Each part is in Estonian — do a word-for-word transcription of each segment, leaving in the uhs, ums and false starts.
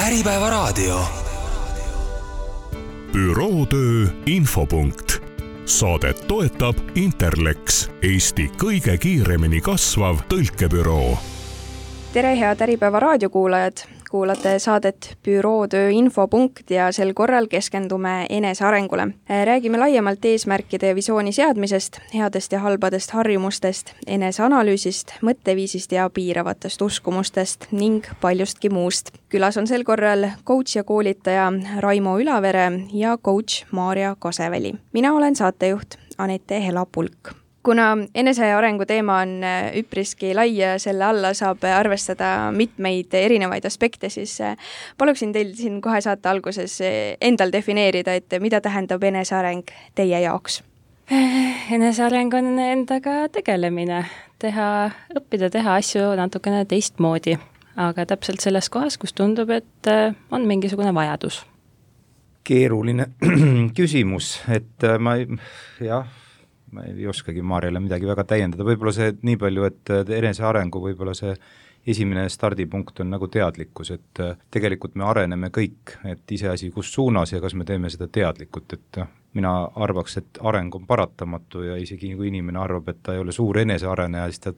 Äripäevaraadio. Bürootöö infopunkt. Saadet toetab Interlex, Eesti kõige kiiremini kasvav tõlkebüroo. Tere head Äripäeva raadiokuulajad! Kuulate saadet Bürootöö infopunkt ja sel korral keskendume enesearengule. Räägime laiemalt eesmärkide ja visiooni seadmisest, headest ja halbadest harjumustest, eneseanalüüsist, mõtteviisist ja piiravatest uskumustest ning paljustki muust. Külas on sel korral coach ja koolitaja Raimo Ülavere ja coach Maarja Kaseväli. Mina olen saatejuht Anette Helapulk. Kuna enesearengu teema on üpriski lai ja selle alla saab arvestada mitmeid erinevaid aspekte, siis paluksin teil siin kohe saate alguses endal defineerida, et mida tähendab eneseareng teie jaoks? Eneseareng on endaga tegelemine, teha, õppida teha asju natukene teistmoodi, aga täpselt selles kohas, kus tundub, et on mingisugune vajadus. Keeruline küsimus, et ma jah, ma ei oskagi Maarjale midagi väga täiendada. Võib-olla see nii palju, et enesearengu võib-olla see esimene stardipunkt on nagu teadlikkus, et tegelikult me areneme kõik, et iseasi kus suunas ja kas me teeme seda teadlikult, et mina arvaks, et areng on paratamatu ja isegi kui inimene arvab, et ta ei ole suur eneseareneja, siis ta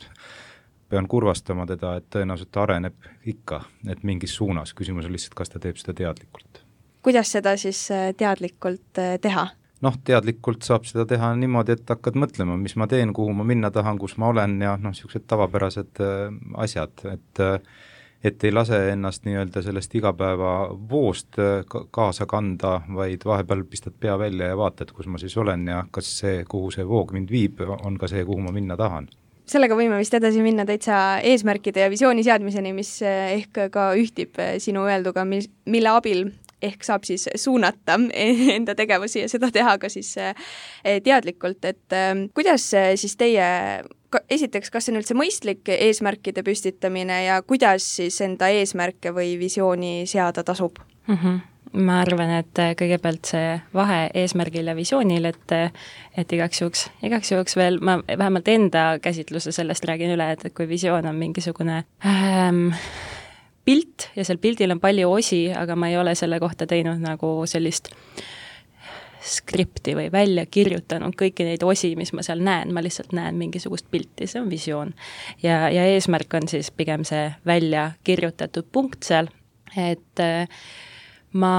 pean kurvastama teda, et tõenäoliselt areneb ikka, et mingis suunas. Küsimus on lihtsalt, kas ta teeb seda teadlikult. Kuidas seda siis teadlikult teha? Noh, teadlikult saab seda teha niimoodi, et hakkad mõtlema, mis ma teen, kuhu ma minna tahan, kus ma olen ja noh, niisugused tavapärased äh, asjad, et, äh, et ei lase ennast nii-öelda sellest igapäeva voost äh, kaasa kanda, vaid vahepeal pistad pea välja ja vaatad, kus ma siis olen ja kas see, kuhu see voog mind viib, on ka see, kuhu ma minna tahan. Sellega võime vist edasi minna täitsa eesmärkide ja visiooni seadmiseni, mis ehk ka ühtib sinu öelduga, mille abil ehk saab siis suunata enda tegevusi ja seda teha ka siis teadlikult, et kuidas siis teie, esiteks, kas see on üldse mõistlik eesmärkide püstitamine ja kuidas siis enda eesmärke või visiooni seada tasub? Mm-hmm. Ma arvan, et kõigepealt see vahe eesmärgil ja visioonil, et, et igaks juhuks, igaks juhuks veel, ma vähemalt enda käsitluse sellest räägin üle, et kui visioon on mingisugune ähm, pilt ja seal pildil on palju osi, aga ma ei ole selle kohta teinud nagu sellist skripti või välja kirjutanud kõiki neid osi, mis ma seal näen, ma lihtsalt näen mingisugust pilti, see on visioon. Ja, ja eesmärk on siis pigem see välja kirjutatud punkt seal, et ma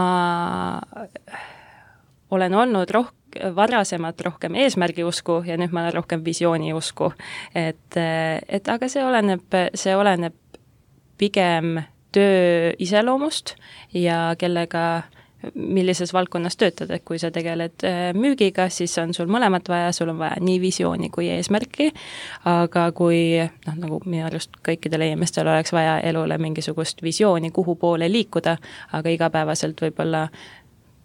olen olnud rohkem, varasemalt rohkem eesmärgi usku ja nüüd ma olen rohkem visiooni usku. Et, et aga see oleneb, see oleneb pigem töö iseloomust ja kellega, millises valdkonnas töötad, et kui sa tegeled müügiga, siis on sul mõlemat vaja, sul on vaja nii visiooni kui eesmärki, aga kui, noh, nagu minu arust kõikidel inimestel oleks vaja elule mingisugust visiooni, kuhu poole liikuda, aga igapäevaselt võib-olla,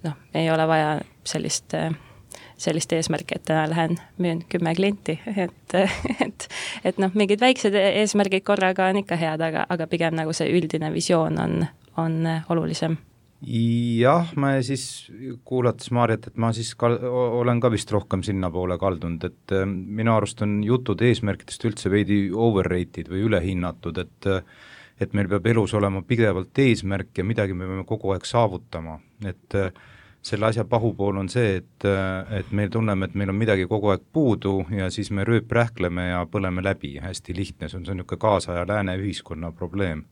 noh, ei ole vaja sellist sellist eesmärki, et täna lähen müün kümme klienti, et, et, et noh, mingid väiksed eesmärgid korraga on ikka head, aga, aga pigem nagu see üldine visioon on, on olulisem. Jah, ma siis kuulates Maarjat, et ma siis ka, olen ka vist rohkem sinna poole kaldunud, et minu arust on jutud eesmärkidest üldse veidi overrated või ülehinnatud, et, et meil peab elus olema pidevalt eesmärk ja midagi me peame kogu aeg saavutama, et selle asja pahupool on see, et, et meil tunneme, et meil on midagi kogu aeg puudu ja siis me rööprähkleme ja põleme läbi. Hästi lihtne, see on, see on niisugune kaasaja lääne ühiskonna probleem.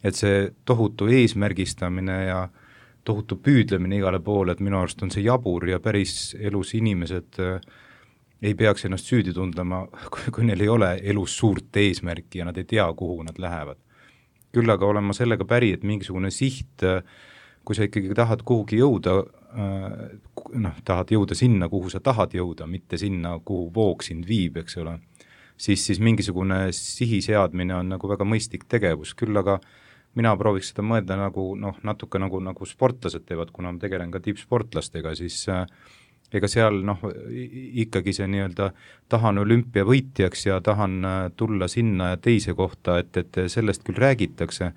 Et see tohutu eesmärgistamine ja tohutu püüdlemine igale poole, et minu arust on see jabur ja päris elus inimesed ei peaks ennast süüdi tundlema, kui, kui neil ei ole elus suurt eesmärki ja nad ei tea, kuhu nad lähevad. Küll aga olen ma sellega päri, et mingisugune siht, kui sa ikkagi tahad kuhugi jõuda, noh, tahad jõuda sinna, kuhu sa tahad jõuda, mitte sinna, kuhu voog sind viib, eks ole, siis, siis mingisugune sihi seadmine on nagu väga mõistlik tegevus. Küll aga mina prooviks seda mõelda nagu, noh, natuke nagu, nagu sportlased teevad, kuna ma tegelen ka tippsportlastega, siis ega seal, noh, ikkagi see nii-öelda tahan olümpiavõitjaks ja tahan tulla sinna ja teise kohta, et, et sellest küll räägitakse,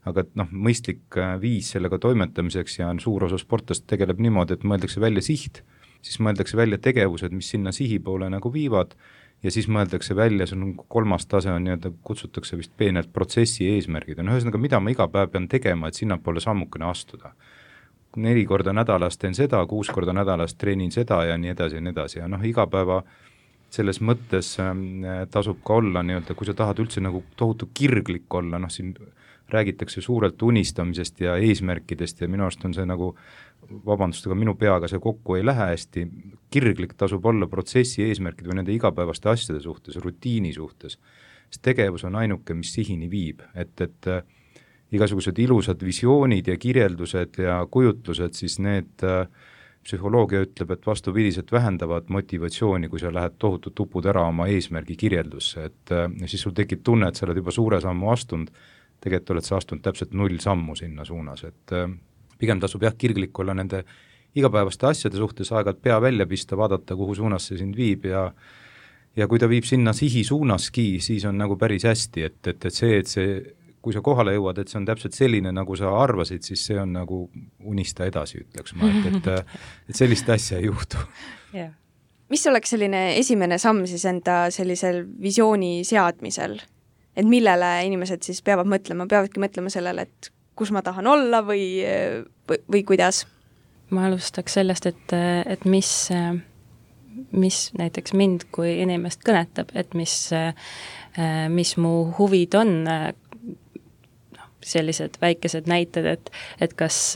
aga noh, mõistlik viis sellega toimetamiseks ja suur osa sportlast tegeleb niimoodi, et mõeldakse välja siht, siis mõeldakse välja tegevused, mis sinna sihi poole nagu viivad ja siis mõeldakse välja, see on kolmas tase, on nii-öelda kutsutakse vist peenelt protsessi eesmärgid, on ühesõnaga, mida ma iga päev pean tegema, et sinna poole sammukene astuda. Neli korda nädalas teen seda, kuus korda nädalas treenin seda ja nii edasi ja nii edasi, ja noh, iga päeva selles mõttes tasub ka olla nii-öelda, kui sa tahad üldse nagu tohutu kirglik olla, noh siin räägitakse suurelt unistamisest ja eesmärkidest ja minu arust on see nagu, vabandust, aga minu peaga see kokku ei lähe hästi, kirglik tasub olla protsessi eesmärkid või nende igapäevaste asjade suhtes, rutiini suhtes, sest tegevus on ainuke, mis sihini viib, et, et igasugused ilusad visioonid ja kirjeldused ja kujutlused, siis need psühholoogia ütleb, et vastupidiselt vähendavad motivatsiooni, kui sa lähed tohutult tupud ära oma eesmärgi kirjeldusse, et siis sul tekib tunne, et sa oled juba suure sammu astunud, tegelikult oled sa astunud täpselt null sammu sinna suunas, et pigem tasub jah kirglik olla nende igapäevaste asjade suhtes, aeg-ajalt pea välja pista, vaadata, kuhu suunas see sind viib ja ja kui ta viib sinna sihi suunaski, siis on nagu päris hästi, et, et, et see, et see kui sa kohale jõuad, et see on täpselt selline, nagu sa arvasid, siis see on nagu unista edasi, ütleks ma, et, et, et sellist asja ei juhtu. Yeah. Mis oleks selline esimene samm siis enda sellisel visiooni seadmisel? Et millele inimesed siis peavad mõtlema, peavadki mõtlema sellele, et kus ma tahan olla või, või, või kuidas? Ma alustaks sellest, et, et mis, mis näiteks mind kui inimest kõnetab, et mis, mis mu huvid on, sellised väikesed näited, et, et kas,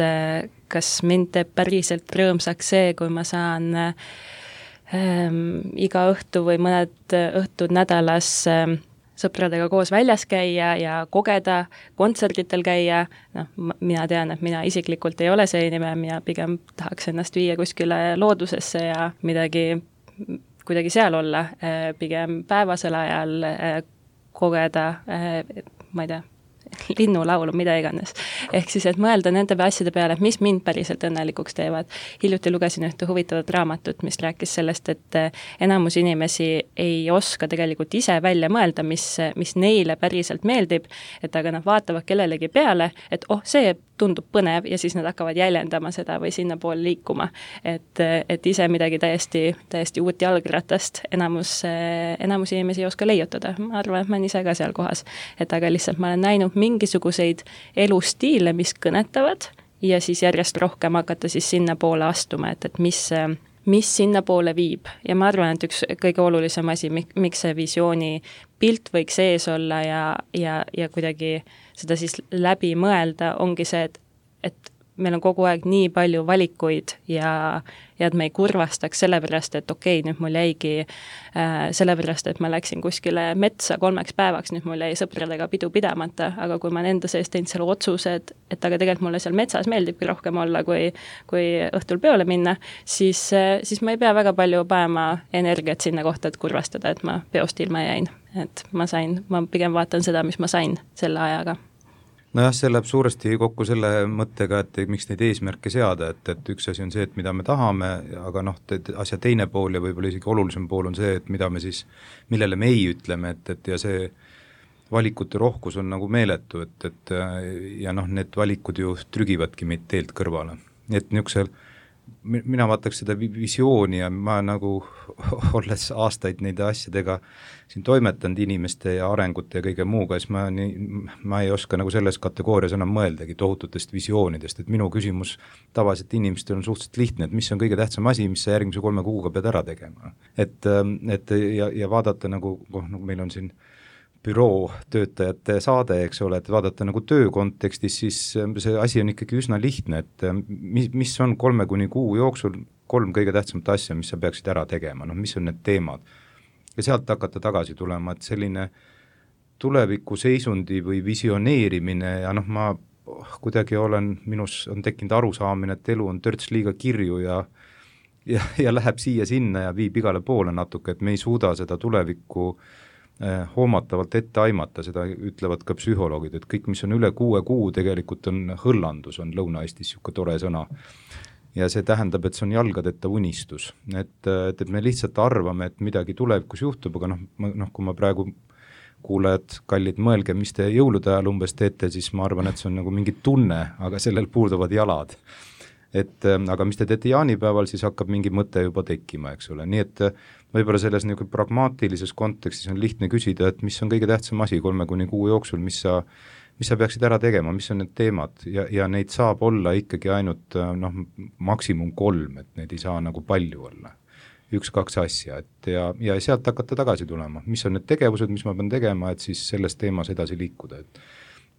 kas mind teeb päriselt rõõmsaks see, kui ma saan ähm, iga õhtu või mõned õhtud nädalas ähm, sõpradega koos väljas käia ja kogeda, kontserditel käia, noh, mina tean, et mina isiklikult ei ole see inimene, mina pigem tahaks ennast viia kuskile loodusesse ja midagi, kuidagi seal olla, pigem päevasel ajal kogeda, ma ei tea, linnulaulu, mida iganes. Ehk siis, et mõelda nende asjade peale, et mis mind päriselt õnnelikuks teevad. Hiljuti lugesin ühte huvitavat raamatut, mis rääkis sellest, et enamus inimesi ei oska tegelikult ise välja mõelda, mis, mis neile päriselt meeldib, et aga nad vaatavad kellelegi peale, et oh, see tundub põnev ja siis nad hakkavad jäljendama seda või sinna poole liikuma. Et, et ise midagi täiesti, täiesti uut jalgratast enamus, enamus inimesi ei oska leiutada. Ma arvan, et ma olen ise ka seal kohas. Et aga lihtsalt ma olen näinud mingisuguseid elustiile, mis kõnetavad ja siis järjest rohkem hakata siis sinna poole astuma, et, et mis, mis sinna poole viib. Ja ma arvan, et üks kõige olulisem asi, miks see visiooni pilt võiks ees olla ja, ja, ja kuidagi seda siis läbi mõelda, ongi see, et, et meil on kogu aeg nii palju valikuid ja, ja et me ei kurvastaks sellepärast, et okei, okay, nüüd mul jäigi äh, sellepärast, et ma läksin kuskile metsa kolmeks päevaks, nüüd mul jäi sõpradega pidu pidamata, aga kui ma enda sees teinud selle otsuse, et, et aga tegelikult mulle seal metsas meeldibki rohkem olla, kui, kui õhtul peole minna, siis, siis ma ei pea väga palju panema energiat sinna kohta, et kurvastada, et ma peost ilma jäin. Et ma sain, ma pigem vaatan seda, mis ma sain selle ajaga. Nojah, see läheb suuresti kokku selle mõttega, et miks neid eesmärke seada, et, et üks asi on see, et mida me tahame, aga noh, asja teine pool ja võib-olla isegi olulisem pool on see, et mida me siis, millele me ei ütleme, et, et ja see valikute rohkus on nagu meeletu, et, et ja noh, need valikud ju trügivadki meid teelt kõrvale. Et niisugusel mina vaataks seda visiooni ja ma nagu olles aastaid neide asjadega siin toimetanud inimeste ja arengute ja kõige muuga, siis ma, nii, ma ei oska nagu selles kategoorias enam mõeldagi tohututest visioonidest, et minu küsimus tavaliselt inimestel on suhteliselt lihtne, et mis on kõige tähtsam asi, mis sa järgmise kolme kuuga pead ära tegema. Et, et ja, ja vaadata nagu, oh, nagu meil on siin büroo töötajate saade, eks ole, et vaadata nagu töö kontekstis, siis see asi on ikkagi üsna lihtne, et mis, mis on kolme kuni kuu jooksul kolm kõige tähtsamat asja, mis sa peaksid ära tegema, noh, mis on need teemad. Ja sealt hakata tagasi tulema, et selline tuleviku seisundi või visioneerimine ja noh, ma kuidagi olen, minus on tekkinud arusaamine, et elu on törts liiga kirju ja, ja, ja läheb siia sinna ja viib igale poole natuke, et me ei suuda seda tulevikku hoomatavalt ette aimata, seda ütlevad ka psühholoogid, et kõik, mis on üle kuue kuu, tegelikult on hõllandus, on Lõuna-Eestis niisugune tore sõna. Ja see tähendab, et see on jalgadeta unistus. Et, et, et me lihtsalt arvame, et midagi tulevikus juhtub, aga noh, noh, kui ma praegu kuulajad, kallid, mõelge, mis te jõulude ajal umbes teete, siis ma arvan, et see on nagu mingi tunne, aga sellel puuduvad jalad. et aga mis te teete jaanipäeval, siis hakkab mingi mõte juba tekkima, eks ole, nii et võib-olla selles nagu pragmaatilises kontekstis on lihtne küsida, et mis on kõige tähtsam asi kolme kuni kuu jooksul, mis sa, mis sa peaksid ära tegema, mis on need teemad ja, ja neid saab olla ikkagi ainult noh, maksimum kolm, et neid ei saa nagu palju olla. üks-kaks asja, et ja, ja sealt hakata tagasi tulema, mis on need tegevused, mis ma pean tegema, et siis selles teemas edasi liikuda, et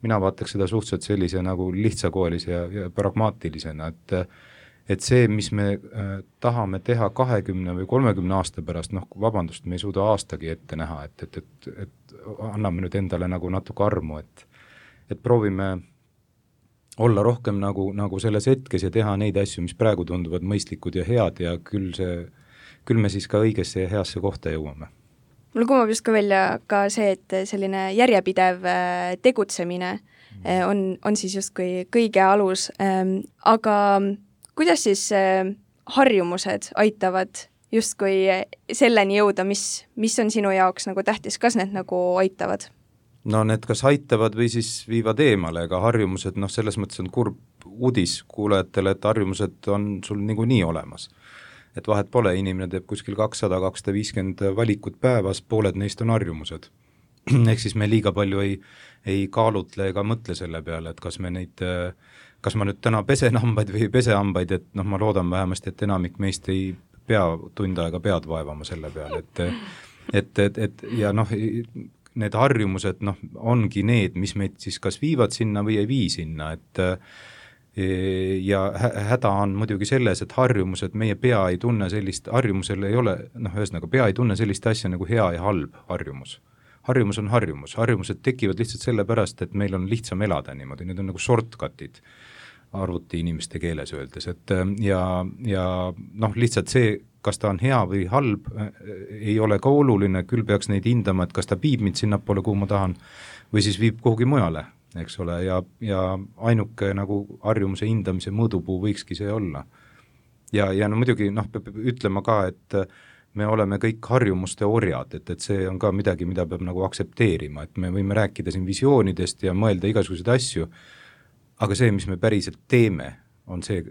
mina vaataks seda suhteliselt sellise nagu lihtsakoelise ja, ja pragmaatilisena, et et see, mis me äh, tahame teha kahekümne või kolmekümne aasta pärast, noh vabandust, me ei suuda aastagi ette näha, et, et, et, et anname nüüd endale nagu natuke armu, et et proovime olla rohkem nagu, nagu selles hetkes ja teha neid asju, mis praegu tunduvad mõistlikud ja head ja küll see küll me siis ka õigesse ja heasse kohta jõuame. Mul kumab just ka välja ka see, et selline järjepidev tegutsemine on, on siis justkui kõige alus, aga kuidas siis harjumused aitavad justkui selleni jõuda, mis, mis on sinu jaoks nagu tähtis, kas need nagu aitavad? No need kas aitavad või siis viivad eemale, aga harjumused, noh selles mõttes on kurb uudis kuulajatele, et harjumused on sul niikuinii olemas. Et vahet pole, inimene teeb kuskil kakssada kakssada viiskümmend valikut päevas, pooled neist on harjumused. Ehk siis me liiga palju ei, ei kaalutle ega mõtle selle peale, et kas me neid, kas ma nüüd täna pesen hambaid või ei pese hambaid, et noh, ma loodan vähemasti, et enamik meist ei pea tund aega pead vaevama selle peale, et et, et, et ja noh, need harjumused noh, ongi need, mis meid siis kas viivad sinna või ei vii sinna, et ja häda on muidugi selles, et harjumused, meie pea ei tunne sellist, harjumusel ei ole, noh ühesõnaga pea ei tunne sellist asja nagu hea ja halb harjumus. Harjumus on harjumus, harjumused tekivad lihtsalt sellepärast, et meil on lihtsam elada niimoodi, need on nagu shortcutid arvuti inimeste keeles öeldes, et ja, ja noh lihtsalt see, kas ta on hea või halb, ei ole ka oluline, küll peaks neid hindama, et kas ta viib mind sinnapoole, kuhu ma tahan, või siis viib kuhugi mujale, eks ole, ja, ja ainuke nagu harjumuse hindamise mõõdupuu võikski see olla. Ja, ja no muidugi noh, peab ütlema ka, et me oleme kõik harjumuste orjad, et, et see on ka midagi, mida peab nagu aksepteerima, et me võime rääkida siin visioonidest ja mõelda igasuguseid asju, aga see, mis me päriselt teeme, on see,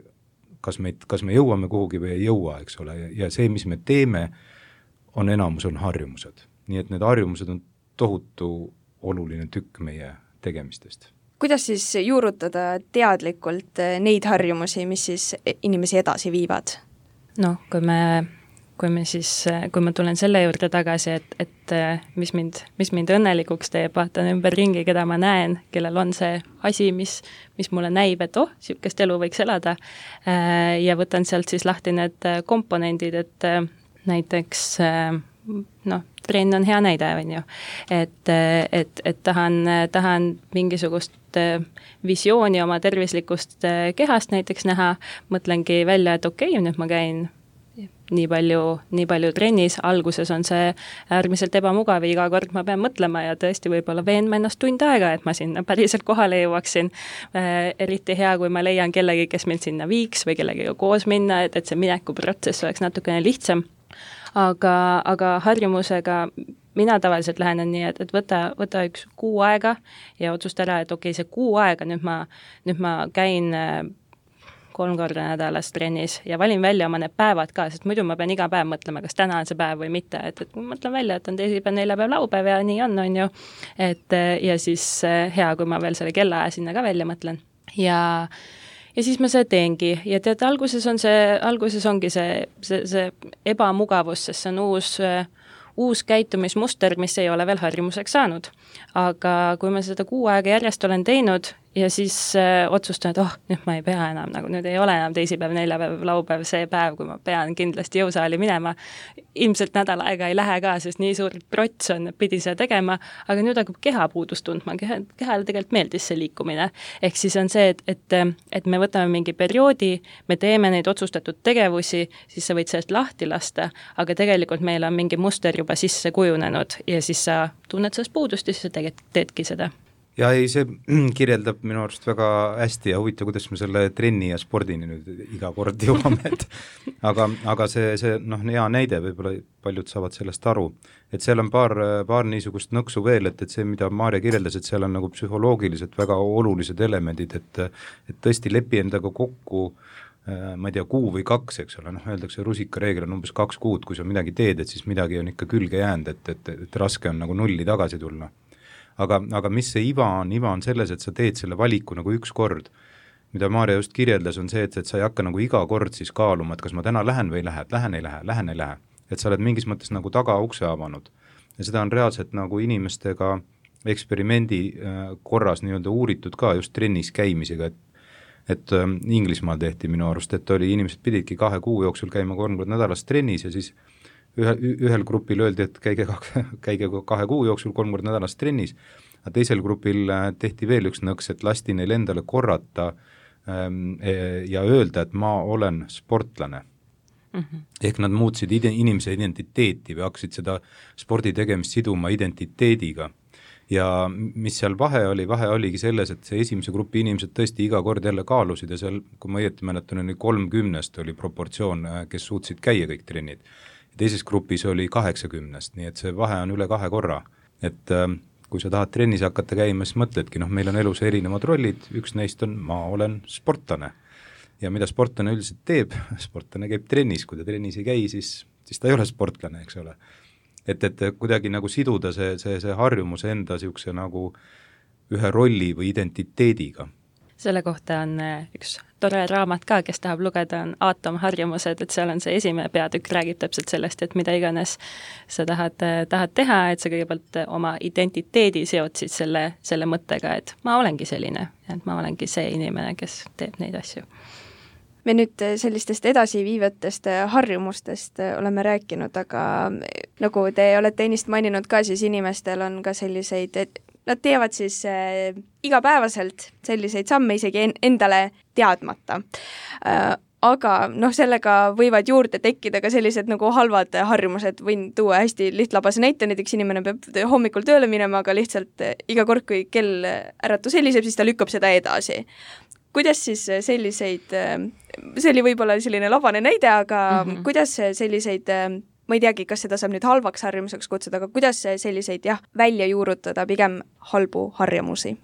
kas me, kas me jõuame kuhugi või ei jõua, eks ole, ja see, mis me teeme, on enamus on harjumused. Nii et need harjumused on tohutu oluline tükk meie tegemistest. Kuidas siis juurutada teadlikult neid harjumusi, mis siis inimesi edasi viivad? No, kui me, kui me siis, kui ma tulen selle juurde tagasi, et, et mis mind, mis mind õnnelikuks teeb, vaatan ümber ringi, keda ma näen, kellel on see asi, mis, mis mulle näib, et oh, sihukest elu võiks elada ja võtan sealt siis lahti need komponendid, et näiteks noh, trenn on hea näide, on ju. Et, et, et tahan, tahan mingisugust visiooni oma tervislikust kehast näiteks näha, mõtlengi välja, et okei, nüüd ma käin nii palju, nii palju trennis, alguses on see äärmiselt ebamugav, iga kord ma pean mõtlema ja tõesti võib-olla veenma ennast tund aega, et ma sinna päriselt kohale jõuaksin. Eriti hea, kui ma leian kellegi, kes mind sinna viiks või kellegiga koos minna, et, et see minekuprotsess oleks natukene lihtsam. Aga, aga harjumusega mina tavaliselt lähenen nii, et, et võta, võta üks kuu aega ja otsusta ära, et okei, see kuu aega, nüüd ma, nüüd ma käin kolm korda nädalas trennis ja valin välja oma need päevad ka, sest muidu ma pean iga päev mõtlema, kas täna on see päev või mitte, et, et mõtlen välja, et on teisipäev, neljapäev, laupäev ja nii on, on ju. Et, ja siis hea, kui ma veel selle kellaaja sinna ka välja mõtlen. Ja Ja siis ma see teengi ja tead, alguses on see, alguses ongi see, see, see ebamugavus, sest see on uus, uus käitumismuster, mis ei ole veel harjumuseks saanud. Aga kui ma seda kuu aega järjest olen teinud ja siis äh, otsustan, et oh, nüüd ma ei pea enam, nagu nüüd ei ole enam teisipäev, neljapäev, laupäev see päev, kui ma pean kindlasti jõusaali minema. Ilmselt nädal aega ei lähe ka, sest nii suur prots on, pidi seda tegema, aga nüüd hakkab keha puudust tundma, keha, kehale tegelikult meeldis see liikumine. Ehk siis on see, et, et, et me võtame mingi perioodi, me teeme neid otsustatud tegevusi, siis sa võid sellest lahti lasta, aga tegelikult meil on mingi muster juba sisse kujunenud ja siis sa tunned sellest puudust ja siis sa tegelikult teedki seda. Ja ei, see kirjeldab minu arust väga hästi ja huvitav, kuidas me selle trenni ja spordini nüüd iga kord jõuame, et aga, aga see, see noh, hea näide, võib-olla paljud saavad sellest aru, et seal on paar, paar niisugust nõksu veel, et, et see, mida Maarja kirjeldas, et seal on nagu psühholoogiliselt väga olulised elemendid, et, et tõesti lepi endaga kokku ma ei tea, kuu või kaks, eks ole, noh, öeldakse rusikareegel on umbes kaks kuud, kui sa midagi teed, et siis midagi on ikka külge jäänud, et, et, et raske on nagu nulli tagasi tulla. Aga, aga mis see iva on? Iva on selles, et sa teed selle valiku nagu üks kord. Mida Maarja just kirjeldas, on see, et, et sa ei hakka nagu iga kord siis kaaluma, et kas ma täna lähen või ei lähe, et lähen ei lähe, lähen ei lähe. Et sa oled mingis mõttes nagu taga ukse avanud. Ja seda on reaalselt nagu inimestega eksperimendi korras nii-öelda uuritud ka just trennis käimisega, et et ähm, Inglismaal tehti minu arust, et oli, inimesed pididki kahe kuu jooksul käima kolm kord nädalas trennis ja siis ühe, ühel grupil öeldi, et käige, käige kahe kuu jooksul kolm kord nädalas trennis, aga teisel grupil tehti veel üks nõks, et lasti neil endale korrata ähm, ja öelda, et ma olen sportlane. Mm-hmm. Ehk nad muutsid ide- inimese identiteeti või hakkasid seda spordi tegemist siduma identiteediga. Ja mis seal vahe oli, vahe oligi selles, et see esimese grupi inimesed tõesti iga kord jälle kaalusid ja seal, kui ma õieti mäletan, oli kolmkümnest oli proportsioon, kes suutsid käia kõik trennid. Ja teises grupis oli kaheksakümnest, nii et see vahe on üle kahe korra. Et äh, kui sa tahad trennis hakata käima, siis mõtledki, noh, meil on elus erinevad rollid, üks neist on, ma olen sportlane. Ja mida sportlane üldiselt teeb? Sportlane käib trennis, kui ta trennis ei käi, siis, siis ta ei ole sportlane, eks ole. Et, et kuidagi nagu siduda see, see, see harjumus enda siukse nagu ühe rolli või identiteediga. Selle kohta on üks tore raamat ka, kes tahab lugeda, on aatomharjumused, et seal on see esimene peatükk, räägib täpselt sellest, et mida iganes sa tahad, tahad teha, et sa kõigepealt oma identiteedi seod siis selle, selle mõttega, et ma olengi selline, et ma olengi see inimene, kes teeb neid asju. Me nüüd sellistest edasiviivatest harjumustest oleme rääkinud, aga nagu te olete ennist maininud ka, siis inimestel on ka selliseid, et nad teevad siis äh, igapäevaselt selliseid samme isegi en- endale teadmata. Äh, aga noh, sellega võivad juurde tekkida ka sellised nagu halvad harjumused, võin tuua hästi lihtlabase näite, näiteks inimene peab hommikul tööle minema, aga lihtsalt iga kord, kui kell äratus heliseb, siis ta lükkab seda edasi. Kuidas siis selliseid, see oli võib-olla selline labane näide, aga mm-hmm. kuidas selliseid, ma ei teagi, kas seda saab nüüd halvaks harjumuseks kutsuda, aga kuidas selliseid jah, välja juurutada pigem halbu harjumusi?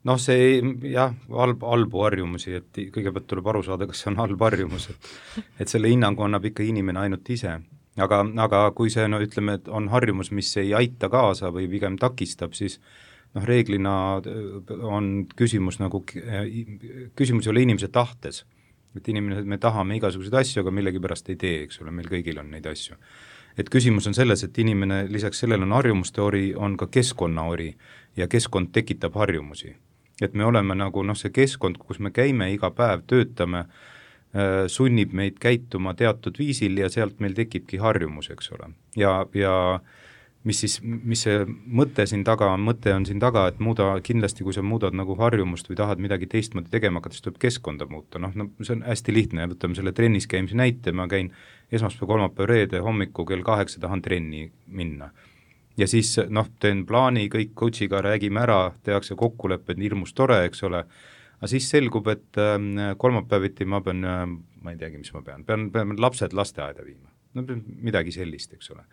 Noh, see jah, halb, halbu harjumusi, et kõigepealt tuleb aru saada, kas see on halb harjumus, et, et selle hinnangu annab ikka inimene ainult ise. Aga, aga kui see, no ütleme, et on harjumus, mis ei aita kaasa või pigem takistab, siis noh, reeglina on küsimus nagu, küsimus ei ole inimese tahtes, et inimene, me tahame igasuguseid asju, aga millegipärast ei tee, eks ole, meil kõigil on neid asju. Et küsimus on selles, et inimene lisaks sellele on harjumuste ori, on ka keskkonna ori ja keskkond tekitab harjumusi. Et me oleme nagu, noh, see keskkond, kus me käime iga päev, töötame, sunnib meid käituma teatud viisil ja sealt meil tekibki harjumus, eks ole. Ja, ja mis siis, mis see mõte siin taga on, mõte on siin taga, et muuda, kindlasti kui sa muudad nagu harjumust või tahad midagi teistmoodi tegema hakata, siis tuleb keskkonda muuta, noh, no see on hästi lihtne, võtame selle trennis käimise näite, ma käin esmaspäev, kolmapäev, reede hommiku kell kaheksa tahan trenni minna. Ja siis noh, teen plaani, kõik coachiga räägime ära, tehakse kokkulepped, hirmus tore, eks ole, aga siis selgub, et kolmapäeviti ma pean, ma ei teagi, mis ma pean, pean, pean lapsed lasteaeda viima, no midagi sellist, eks ole.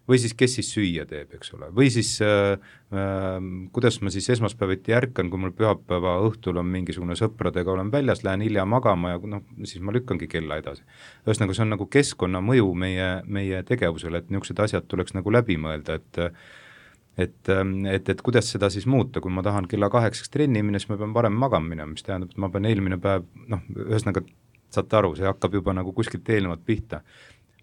Või siis kes siis süüa teeb, eks ole, või siis äh, äh, kuidas ma siis esmaspäeviti ärkan, kui mul pühapäeva õhtul on mingisugune sõpradega, olen väljas, lähen hilja magama ja noh, siis ma lükkangi kella edasi. Ühesõnaga, see on nagu keskkonna mõju meie, meie tegevusele, et niisugused asjad tuleks nagu läbi mõelda, et et, et, et kuidas seda siis muuta, kui ma tahan kella kaheksaks trenni minna, siis ma pean varem magama minema, mis tähendab, et ma pean eelmine päev, noh, ühesõnaga saate aru, see hakkab juba nagu kuskilt eelnevat pihta.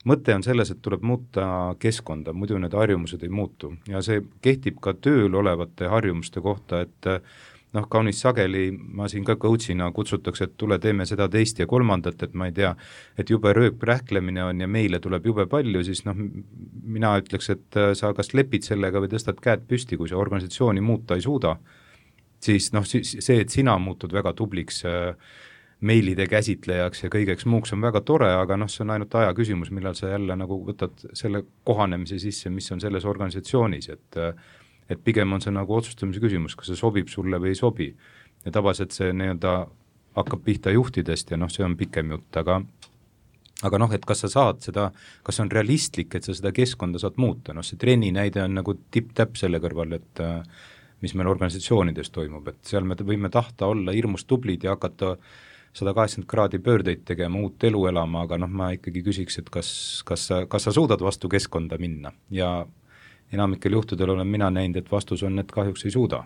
Mõte on selles, et tuleb muuta keskkonda, muidu need harjumused ei muutu ja see kehtib ka tööl olevate harjumuste kohta, et noh, kaunis sageli ma siin ka coachina kutsutakse, et tule teeme seda teist ja kolmandat, et ma ei tea, et jube rööprähklemine on ja meile tuleb jube palju, siis noh, mina ütleks, et sa kas lepid sellega või tõstad käed püsti, kui sa organisatsiooni muuta ei suuda, siis noh, see, et sina muutud väga tubliks meilide käsitlejaks ja kõigeks muuks on väga tore, aga noh, see on ainult aja küsimus, millal sa jälle nagu võtad selle kohanemise sisse, mis on selles organisatsioonis, et et pigem on see nagu otsustamise küsimus, kas see sobib sulle või ei sobi. Ja tavaliselt see nii-öelda hakkab pihta juhtidest ja noh, see on pikem jutt, aga aga noh, et kas sa saad seda, kas on realistlik, et sa seda keskkonda saad muuta, noh see trenni näide on nagu tipp-täpp selle kõrval, et mis meil organisatsioonides toimub, et seal me võime tahta olla hirmus tublid ja hakata sada kaheksakümmend kraadi pöördeid tegema, uut elu elama, aga noh, ma ikkagi küsiks, et kas, kas, sa, kas sa suudad vastu keskkonda minna ja enamikel juhtudel olen mina näinud, et vastus on, et kahjuks ei suuda.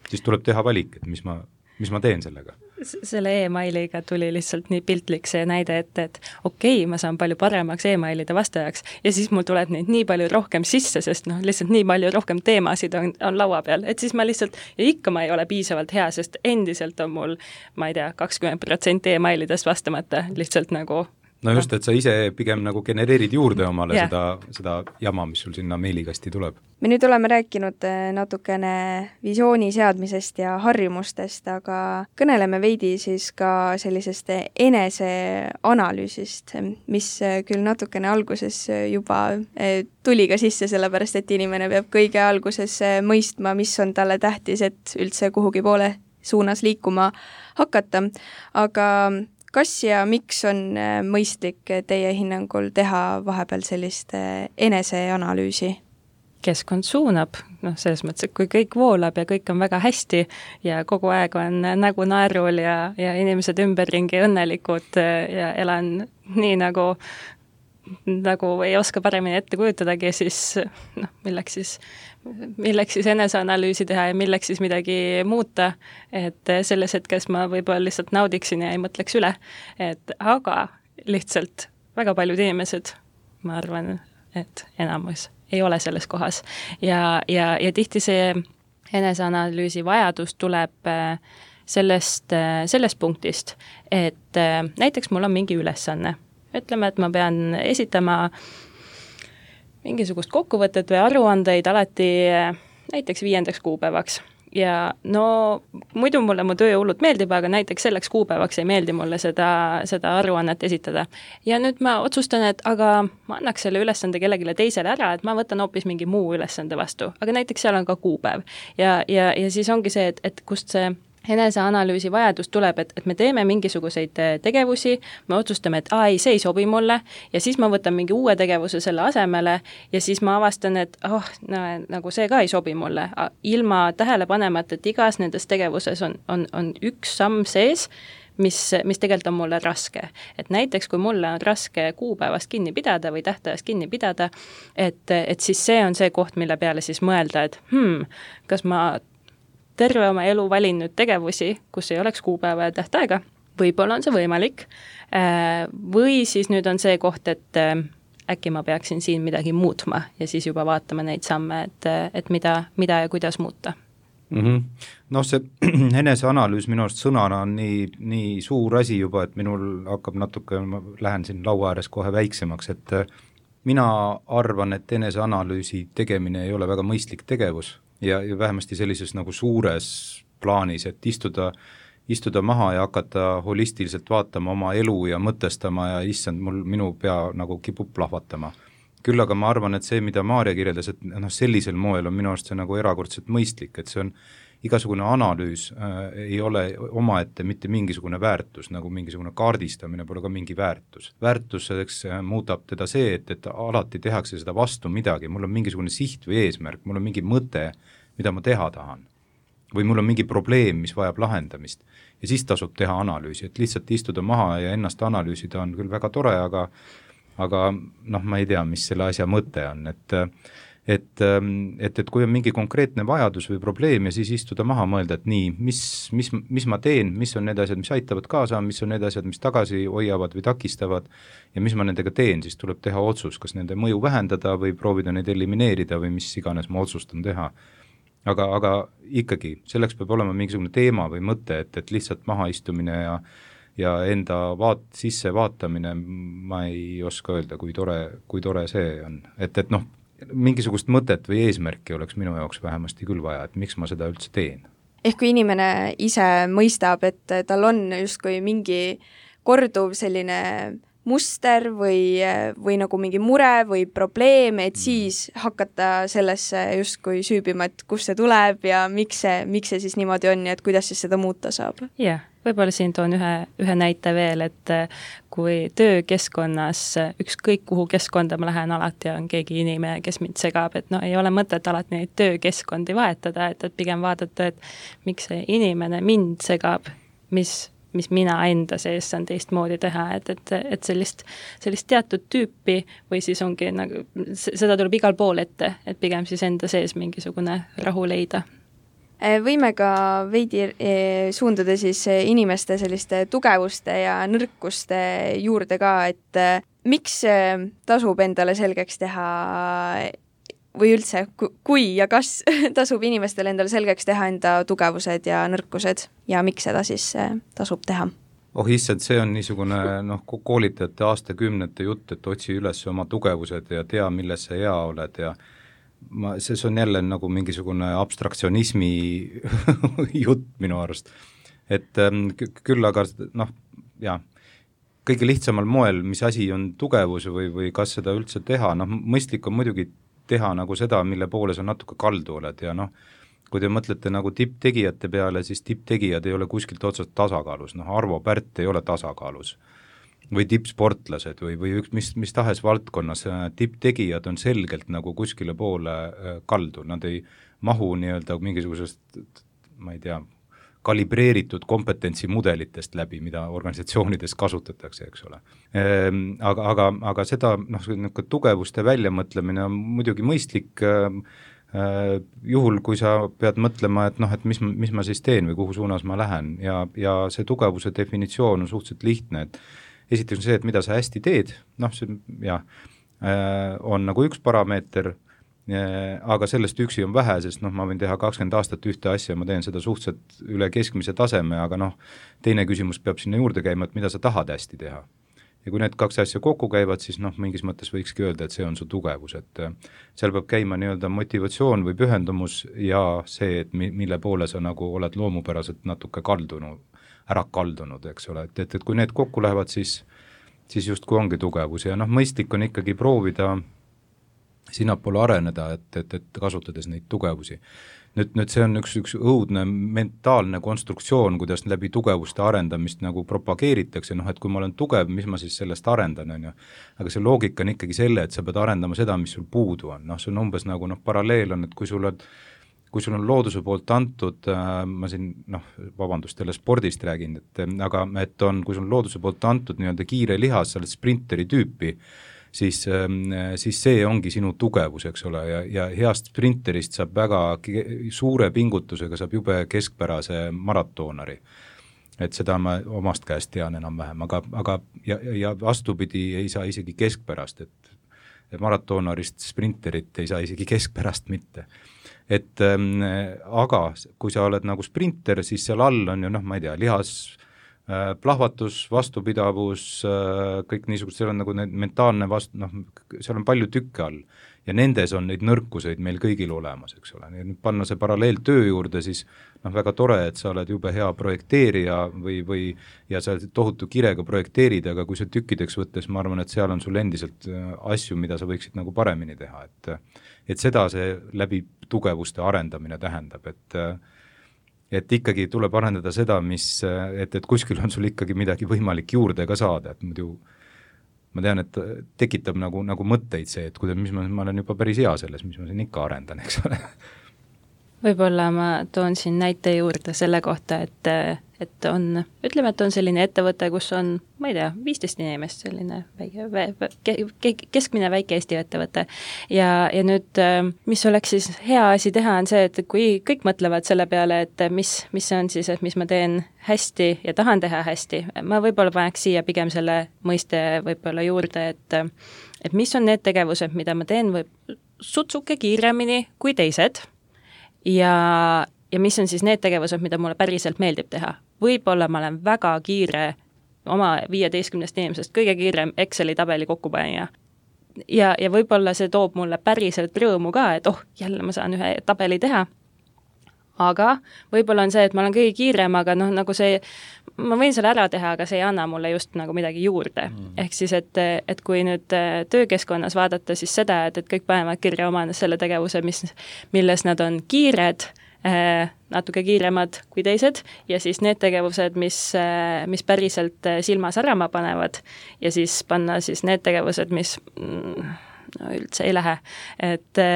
Siis tuleb teha valik, et mis ma, mis ma teen sellega. Selle e-mailiga tuli lihtsalt nii piltlik see näide, et, et okei, okay, ma saan palju paremaks e-mailide vastajaks ja siis mul tuleb neid nii palju rohkem sisse, sest noh, lihtsalt nii palju rohkem teemasid on, on laua peal, et siis ma lihtsalt, ja ikka ma ei ole piisavalt hea, sest endiselt on mul, ma ei tea, kakskümmend protsenti e-mailidest vastamata lihtsalt nagu no just, et sa ise pigem nagu genereerid juurde omale yeah. seda, seda jama, mis sul sinna meilikasti tuleb. Me nüüd oleme rääkinud natukene visiooni seadmisest ja harjumustest, aga kõneleme veidi siis ka sellisest eneseanalüüsist, mis küll natukene alguses juba tuli ka sisse, sellepärast et inimene peab kõige alguses mõistma, mis on talle tähtis, et üldse kuhugi poole suunas liikuma hakata, aga kas ja miks on mõistlik teie hinnangul teha vahepeal sellist eneseanalüüsi? Keskkond suunab, noh selles mõttes, et kui kõik voolab ja kõik on väga hästi ja kogu aeg on nägu naerul ja, ja inimesed ümberringi õnnelikud ja elan nii nagu, nagu ei oska paremini ette kujutadagi, siis noh, milleks siis milleks siis eneseanalüüsi teha ja milleks siis midagi muuta, et selles hetkes ma võib-olla lihtsalt naudiksin ja ei mõtleks üle, et aga lihtsalt väga paljud inimesed, ma arvan, et enamus ei ole selles kohas ja, ja, ja tihti see eneseanalüüsi vajadus tuleb sellest, sellest punktist, et näiteks mul on mingi ülesanne, ütleme, et ma pean esitama mingisugust kokkuvõtet või aruandeid alati näiteks viiendaks kuupäevaks. Ja no muidu mulle mu töö hullult meeldib, aga näiteks selleks kuupäevaks ei meeldi mulle seda, seda aruannet esitada. Ja nüüd ma otsustan, et aga ma annaks selle ülesande kellegile teisele ära, et ma võtan hoopis mingi muu ülesande vastu. Aga näiteks seal on ka kuupäev. Ja, ja, ja siis ongi see, et, et kust see eneseanalüüsi vajadus tuleb, et, et me teeme mingisuguseid tegevusi, me otsustame, et aa, ei, see ei sobi mulle ja siis ma võtan mingi uue tegevuse selle asemele ja siis ma avastan, et oh, no, nagu see ka ei sobi mulle. Ilma tähele panemata, et igas nendes tegevuses on, on, on üks samm sees, mis, mis tegelikult on mulle raske. Et näiteks, kui mulle on raske kuupäevast kinni pidada või tähtajast kinni pidada, et, et siis see on see koht, mille peale siis mõelda, et hmm, kas ma terve oma elu valin nüüd tegevusi, kus ei oleks kuupäeva ja tähtaega, võib-olla on see võimalik, või siis nüüd on see koht, et äkki ma peaksin siin midagi muutma ja siis juba vaatama neid samme, et, et mida, mida ja kuidas muuta. Mm-hmm. No see eneseanalüüs minu arust sõnana on nii, nii suur asi juba, et minul hakkab natuke, ma lähen siin laua ääres kohe väiksemaks, et mina arvan, et eneseanalüüsi tegemine ei ole väga mõistlik tegevus, ja, ja vähemasti sellises nagu suures plaanis, et istuda, istuda maha ja hakata holistiliselt vaatama oma elu ja mõtestama ja issand, mul minu pea nagu kipub plahvatama. Küll aga ma arvan, et see, mida Maarja kirjeldas, et noh, sellisel moel on minu arust see nagu erakordselt mõistlik, et see on igasugune analüüs äh, ei ole omaette mitte mingisugune väärtus, nagu mingisugune kaardistamine pole ka mingi väärtus. Väärtuseks äh, muudab teda see, et, et alati tehakse seda vastu midagi, mul on mingisugune siht või eesmärk, mul on mingi mõte, mida ma teha tahan. Või mul on mingi probleem, mis vajab lahendamist. Ja siis tasub teha analüüsi, et lihtsalt istuda maha ja ennast analüüsida on küll väga tore, aga, aga noh, ma ei tea, mis selle asja mõte on, et Et, et, et kui on mingi konkreetne vajadus või probleem ja siis istuda maha mõelda, et nii, mis, mis, mis ma teen, mis on need asjad, mis aitavad kaasa, mis on need asjad, mis tagasi hoiavad või takistavad ja mis ma nendega teen, siis tuleb teha otsus, kas nende mõju vähendada või proovida neid elimineerida või mis iganes ma otsustan teha. Aga, aga ikkagi, selleks peab olema mingisugune teema või mõte, et, et lihtsalt maha istumine ja, ja enda vaat, sisse vaatamine, ma ei oska öelda, kui tore, kui tore see on. Et, et noh, mingisugust mõtet või eesmärki oleks minu jaoks vähemasti küll vaja, et miks ma seda üldse teen. Ehk kui inimene ise mõistab, et tal on justkui mingi korduv selline muster või, või nagu mingi mure või probleem, et siis hakata sellesse justkui süübima, et kust see tuleb ja miks see, miks see siis niimoodi on ja et kuidas siis seda muuta saab. Jah, võib-olla siin toon ühe, ühe näite veel, et kui töökeskkonnas, ükskõik kuhu keskkonda ma lähen, alati on keegi inimene, kes mind segab, et no ei ole mõtet alati neid töökeskkondi vahetada, et, et pigem vaadata, et miks see inimene mind segab, mis mis mina enda sees saan teistmoodi teha, et, et, et sellist, sellist teatud tüüpi või siis ongi nagu, seda tuleb igal pool ette, et pigem siis enda sees mingisugune rahu leida. Võime ka veidi suunduda siis inimeste selliste tugevuste ja nõrkuste juurde ka, et miks tasub endale selgeks teha või üldse, kui ja kas tasub inimestel endale selgeks teha enda tugevused ja nõrkused ja miks seda siis tasub teha? Oh issand, see on niisugune noh, koolitajate aastakümnete jutt, et otsi üles oma tugevused ja tea, milles sa hea oled ja ma, see on jälle nagu mingisugune abstraktsionismi jutt minu arust. Et küll aga noh, jah, kõige lihtsamal moel, mis asi on tugevus või, või kas seda üldse teha, noh mõistlik on muidugi teha nagu seda, mille poole sa natuke kaldu oled ja noh, kui te mõtlete nagu tipptegijate peale, siis tipptegijad ei ole kuskilt otsast tasakaalus, noh Arvo Pärt ei ole tasakaalus või tippsportlased või, või üks, mis, mis tahes valdkonnas, tipptegijad on selgelt nagu kuskile poole kaldu, nad ei mahu nii-öelda mingisugusest, ma ei tea, kalibreeritud kompetentsimudelitest läbi, mida organisatsioonides kasutatakse, eks ole. Aga, aga, aga seda noh, tugevuste väljamõtlemine on muidugi mõistlik juhul, kui sa pead mõtlema, et noh, et mis, mis ma siis teen või kuhu suunas ma lähen ja, ja see tugevuse definitsioon on suhteliselt lihtne, et esiteks on see, et mida sa hästi teed, noh see jah, on nagu üks parameeter, aga sellest üksi on vähe, sest noh, ma võin teha kakskümmend aastat ühte asja, ma teen seda suhteliselt üle keskmise taseme, aga noh, teine küsimus peab sinna juurde käima, et mida sa tahad hästi teha. Ja kui need kaks asja kokku käivad, siis noh, mingis mõttes võikski öelda, et see on su tugevus, et seal peab käima nii-öelda motivatsioon või pühendumus ja see, et mille poole sa nagu oled loomupäraselt natuke kaldunud, ära kaldunud, eks ole, et, et, et kui need kokku lähevad, siis, siis just kui ongi tugevus ja noh, mõistlik on ikkagi proovida sinnapoole areneda, et, et, et kasutades neid tugevusi. Nüüd, nüüd see on üks, üks õudne mentaalne konstruktsioon, kuidas läbi tugevuste arendamist nagu propageeritakse, noh et kui ma olen tugev, mis ma siis sellest arendan, on ju. Aga see loogika on ikkagi selle, et sa pead arendama seda, mis sul puudu on, noh see on umbes nagu noh, paralleel on, et kui sul on kui sul on looduse poolt antud, äh, ma siin, noh, vabandust, jälle spordist räägin, et aga et on, kui sul on looduse poolt antud nii-öelda kiire lihas, sa oled sprinteri tüüpi, siis, siis see ongi sinu tugevus, eks ole, ja, ja heast sprinterist saab väga suure pingutusega, saab jube keskpärase maratoonari. Et seda ma omast käest tean enam-vähem, aga, aga ja, ja vastupidi ei saa isegi keskpärast, et maratoonarist sprinterit ei saa isegi keskpärast mitte. Et ähm, aga kui sa oled nagu sprinter, siis seal all on ju, noh, ma ei tea, lihas, äh, plahvatus, vastupidavus, äh, kõik niisugused, seal on nagu need mentaalne vastu, noh, seal on palju tükke all ja nendes on neid nõrkuseid meil kõigil olemas, eks ole. Nüüd panna see paralleel töö juurde, siis noh, väga tore, et sa oled jube hea projekteerija või, või ja sa tohutu kirega projekteerid, aga kui see tükkideks võttes, ma arvan, et seal on sul endiselt asju, mida sa võiksid nagu paremini teha, et et seda see läbi tugevuste arendamine tähendab, et et ikkagi tuleb arendada seda, mis, et, et kuskil on sul ikkagi midagi võimalik juurde ka saada, et muidu ma tean, et tekitab nagu, nagu mõtteid see, et kuidas, mis ma, ma olen juba päris hea selles, mis ma siin ikka arendan, eks ole. Võib-olla ma toon siin näite juurde selle kohta, et, et on, ütleme, et on selline ettevõte, kus on, ma ei tea, viisteist inimest, selline väike, vä, keskmine väike Eesti ettevõte. Ja, ja nüüd, mis oleks siis hea asi teha, on see, et kui kõik mõtlevad selle peale, et mis, mis see on siis, et mis ma teen hästi ja tahan teha hästi, ma võib-olla paneks siia pigem selle mõiste võib-olla juurde, et, et mis on need tegevused, mida ma teen võib sutsuke kiiremini kui teised, ja, ja mis on siis need tegevused, mida mulle päriselt meeldib teha. Võib-olla ma olen väga kiire oma viieteistkümnest inimesest, kõige kiirem Exceli tabeli kokkupanija. Ja, ja võib-olla see toob mulle päriselt rõõmu ka, et oh, jälle ma saan ühe tabeli teha. Aga võib-olla on see, et ma olen kõige kiirem, aga noh, nagu see, ma võin selle ära teha, aga see ei anna mulle just nagu midagi juurde. Mm. Ehk siis, et, et kui nüüd töökeskkonnas vaadata siis seda, et, et kõik panevad kirja oma selle tegevuse, mis, milles nad on kiired, eh, natuke kiiremad kui teised, ja siis need tegevused, mis, mis päriselt silma särama panevad, ja siis panna siis need tegevused, mis mm, no üldse ei lähe. Et,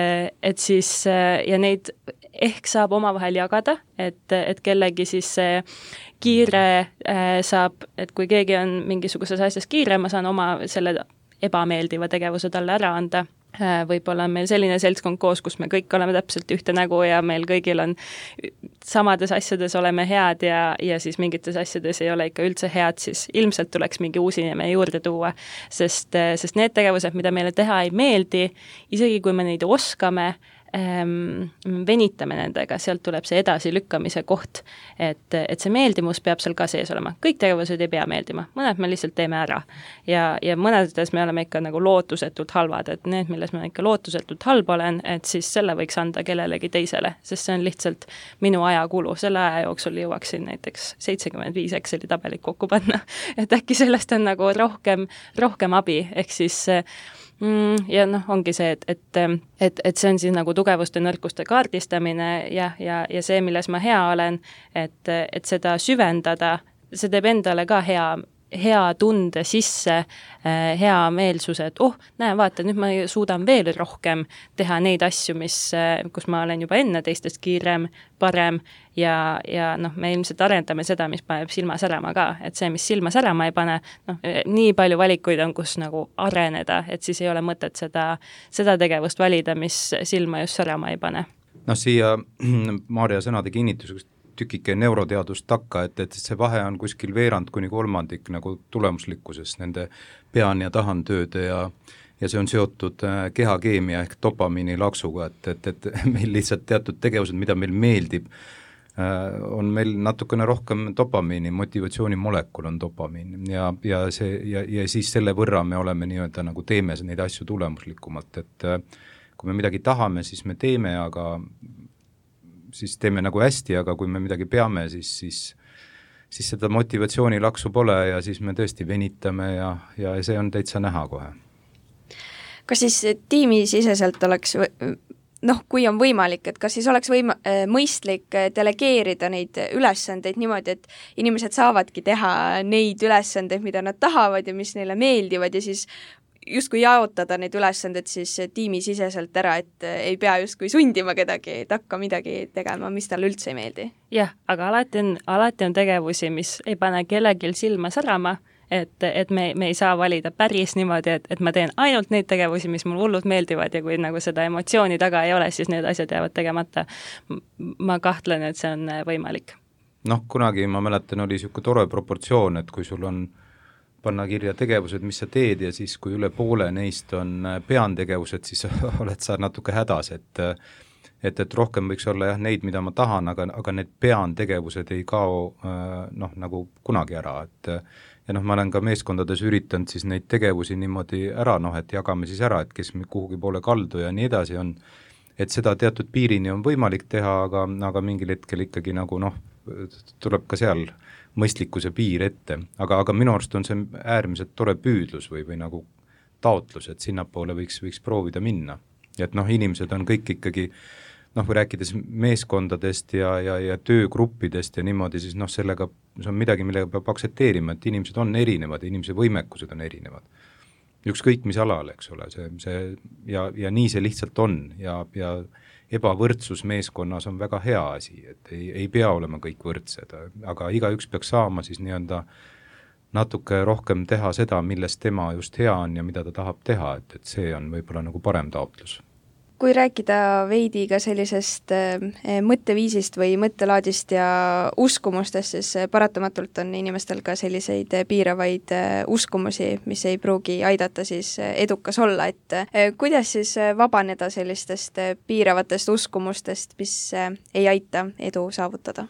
et siis, ja neid ehk saab omavahel jagada, et, et kellegi siis see kiire äh, saab, et kui keegi on mingisuguses asjas kiire, ma saan oma selle ebameeldiva tegevuse talle ära anda. Võib-olla on meil selline seltskond koos, kus me kõik oleme täpselt ühte nägu ja meil kõigil on samades asjades oleme head ja, ja siis mingites asjades ei ole ikka üldse head, siis ilmselt tuleks mingi uus inimene juurde tuua, sest, sest need tegevused, mida meile teha ei meeldi, isegi kui me neid oskame, ähm, venitame nendega, sealt tuleb see edasilükkamise koht, et, et see meeldimus peab seal ka sees olema. Kõik tegevused ei pea meeldima, mõned me lihtsalt teeme ära ja, ja mõnedes me oleme ikka nagu lootusetult halvad, et need, milles ma ikka lootusetult halb olen, et siis selle võiks anda kellelegi teisele, sest see on lihtsalt minu ajakulu, selle aja jooksul jõuaksin näiteks seitsekümmend viis Exceli tabelit kokku panna, et äkki sellest on nagu rohkem, rohkem abi, ehk siis Mm, ja noh, ongi see, et, et, et, et see on siis nagu tugevuste nõrkuste kaardistamine ja, ja, ja see, milles ma hea olen, et, et seda süvendada, see teeb endale ka hea, hea tunde sisse, hea meelsuse, et oh, näe, vaata, nüüd ma suudan veel rohkem teha neid asju, mis, kus ma olen juba enne teistest kiirem, parem ja, ja noh, me ilmselt arendame seda, mis paneb silma särama ka, et see, mis silma särama ei pane, noh, nii palju valikuid on, kus nagu areneda, et siis ei ole mõtet seda, seda tegevust valida, mis silma just särama ei pane. Noh, siia Maarja sõnade kinnituseks tükike neuroteadust takka, et, et see vahe on kuskil veerand kuni kolmandik nagu tulemuslikkuses nende pean- ja tahantööde ja ja see on seotud kehakeemia ehk dopamiini laksuga, et, et, et meil lihtsalt teatud tegevused, mida meil meeldib, on meil natukene rohkem dopamiini, motivatsioonimolekul on dopamiin ja, ja, see, ja, ja siis selle võrra me oleme nii-öelda nagu teeme neid asju tulemuslikumalt, et kui me midagi tahame, siis me teeme, aga siis teeme nagu hästi, aga kui me midagi peame, siis, siis, siis seda motivatsioonilaksu pole ja siis me tõesti venitame ja, ja see on täitsa näha kohe. Kas siis tiimisiseselt oleks, noh, kui on võimalik, et kas siis oleks võima, mõistlik delegeerida neid ülesandeid niimoodi, et inimesed saavadki teha neid ülesandeid, mida nad tahavad ja mis neile meeldivad ja siis justkui jaotada neid ülesanded siis tiimisiseselt ära, et ei pea justkui sundima kedagi, et hakka midagi tegema, mis talle üldse ei meeldi. Jah, aga alati on, alati on tegevusi, mis ei pane kellelgi silma särama, et, et me, me ei saa valida päris niimoodi, et, et ma teen ainult neid tegevusi, mis mul hullult meeldivad ja kui nagu seda emotsiooni taga ei ole, siis need asjad jäävad tegemata. Ma kahtlen, et see on võimalik. Noh, kunagi ma mäletan, oli niisugune tore proportsioon, et kui sul on panna kirja tegevused, mis sa teed ja siis kui üle poole neist on peantegevused, siis oled sa natuke hädas, et et, et rohkem võiks olla jah neid, mida ma tahan, aga, aga need peantegevused ei kao noh, nagu kunagi ära, et ja noh, ma olen ka meeskondades üritanud siis neid tegevusi niimoodi ära, noh, et jagame siis ära, et kes kuhugi poole kaldu ja nii edasi on, et seda teatud piirini on võimalik teha, aga, aga mingil hetkel ikkagi nagu noh, tuleb ka seal mõistlikkuse piir ette, aga, aga minu arust on see äärmiselt tore püüdlus või, või nagu taotlus, et sinnapoole võiks, võiks proovida minna. Ja et noh, inimesed on kõik ikkagi, noh, kui rääkides meeskondadest ja, ja, ja töögruppidest ja niimoodi, siis noh, sellega see on midagi, millega peab aktsepteerima, et inimesed on erinevad, inimese võimekused on erinevad. Ükskõik mis alal, eks ole, see, see ja, ja nii see lihtsalt on ja, ja ebavõrdsus meeskonnas on väga hea asi, et ei, ei pea olema kõik võrdsed, aga igaüks peaks saama siis nii-öelda natuke rohkem teha seda, milles tema just hea on ja mida ta tahab teha, et, et see on võib-olla nagu parem taotlus. Kui rääkida veidi ka sellisest mõtteviisist või mõttelaadist ja uskumustest, siis paratamatult on inimestel ka selliseid piiravaid uskumusi, mis ei pruugi aidata siis edukas olla, et kuidas siis vabaneda sellistest piiravatest uskumustest, mis ei aita edu saavutada?